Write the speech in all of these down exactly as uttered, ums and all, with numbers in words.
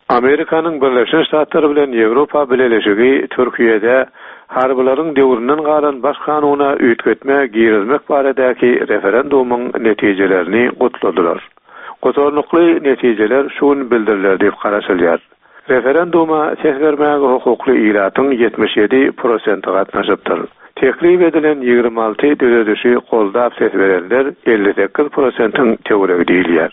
Amerikanyň Birleşen Ştatlary bilen Ýewropa Bileleşigi Türkiýede harbylaryň döwründen galan baş kanuna üýtgetme girizmek baradaky referendumyň netijelerini gutladylar. Gutarnykly netijeler şu gün bildiriler diýip garaşylýar. Referenduma ses bermäge hukukly ilatyň ýetmiş ýedi prosenti gatnaşypdyr. Teklip edilen ýigrimi alty düzedişi goldap ses berenler elli sekiz prosentiň töweregi diýilýär.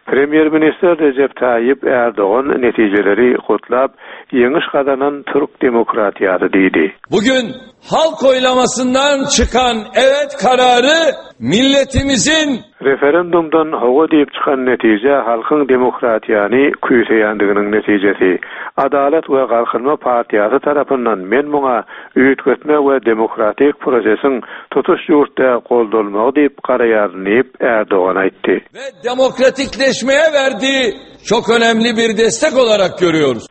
Premýer-ministr Rejep Taýyp Ärdogan netijeleri gutlap, ýeňiş gazanan türk demokratiýasy diýdi. Bugün halk oylamasyndan çykan evet karary milletimizin Referendumdan hawa diýip çykan netije halkyň demokratiýany küýseýändiginiň netijesi. Adalat we Galkynma partiýasy tarapyndan men muňa üýtgetme we demokratik prosesiň tutuş ýurtda goldalmagy diýip garaýaryn diýip Erdogan aýtdy. Ve demokratikleşmeye verdiği çok önemli bir destek olarak görüyoruz.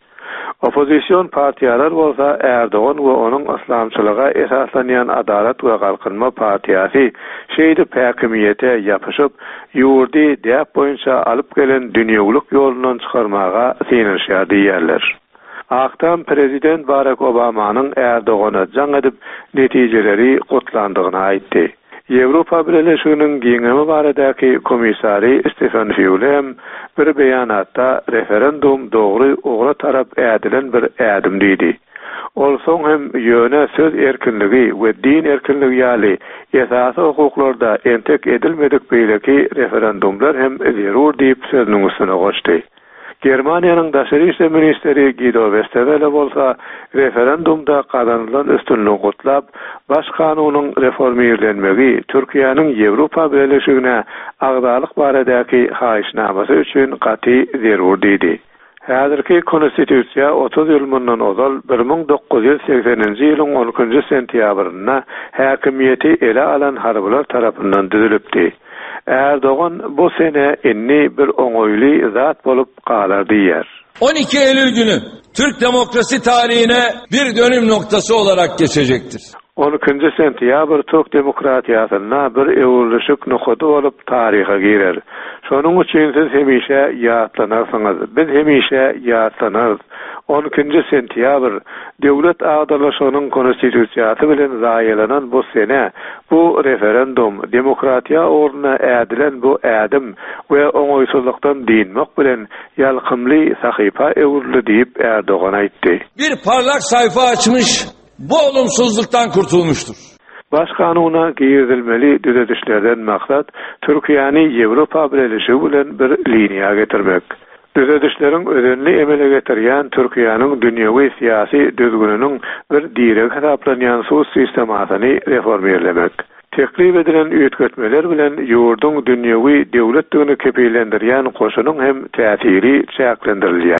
Oppozision partiýalar bolsa Erdogan we onuň yslamçylyga esaslanýan Adalat we Galkynma partiýasy şeýdip häkimiýete ýapyşyp, ýurdy däp boýunça alyp gelen dünýewilik ýolundan çykarmaga synanyşýar diýýärler. Ak Tam prezident Barack Obamanyň Erdogana jaň edip netijeleri gutlandygyny aýtdy. Ýewropa Bileleşiginiň giňemi baradaky komissary Stefan Füle hem bir beýanatda referendum dogry ugra tarap ädilen bir ädim diýdi. Ol soň hem ýöne söz erkinligi we din erkinligi ýaly esasy hukuklarda entek edilmedik beýleki referendumlar hem zerur diýip sözüniň üstüne goşdy. Germaniýanyň daşary işler ministri Guido Westerwelle bolsa referendumda gazanylan üstünligi gutlap, baş kanunyň reformirlenmegi Türkiýäniň Ýewropa Bileleşigine agzalyk baradaky haýyşnamasy üçin gaty zerur diýdi. Häzirki konstitusiýa otuz ýyl mundan ozal bir müň dokuz ýüz segseninji ýylyň on ikinji sentýabrynda häkimiýeti ele alan harbylar tarapyndan düzülipdi. Erdogan bu sene indi bir oňaýly zat bolup galar diýýär. On iki Eylül günü Türk demokrasi tarihine bir dönüm noktası olarak geçecektir. On ikinji sentýabr Türk demokratiýasynda bir öwrülişik nokady bolup taryha girer. Şonuň üçin siz hemişe ýatlanarsyňyz. Biz hemişe ýatlanarys. On ikinji sentýabr döwlet agdarlyşygynyň konstitusiýasy bilen zaýalanan bu sene, bu referendum, demokratiýa ugruna ädilen bu ädim we oňaýsyzlykdan dinmek bilen ýalkymly sahypa öwrüldi diýip Erdogan aýtdy. Bir parlak sayfa açmış, bu olumsuzluktan kurtulmuştur. Baş kanuna girizilmeli düzedişlerden maksat Türkiýäni Ýewropa Bileleşigi bilen bir liniýa getirmek. Düzedişleriň özenli emele getirýän Türkiýäniň dünýewi syýasy düzgüniniň bir diregi hasaplanýan sud sistemasyny reformirlemek. Teklip edilen üýtgetmeler bilen ýurduň dünýewi döwletdigini kepillendirýän goşunyň hem täsiri çäklendirilýär.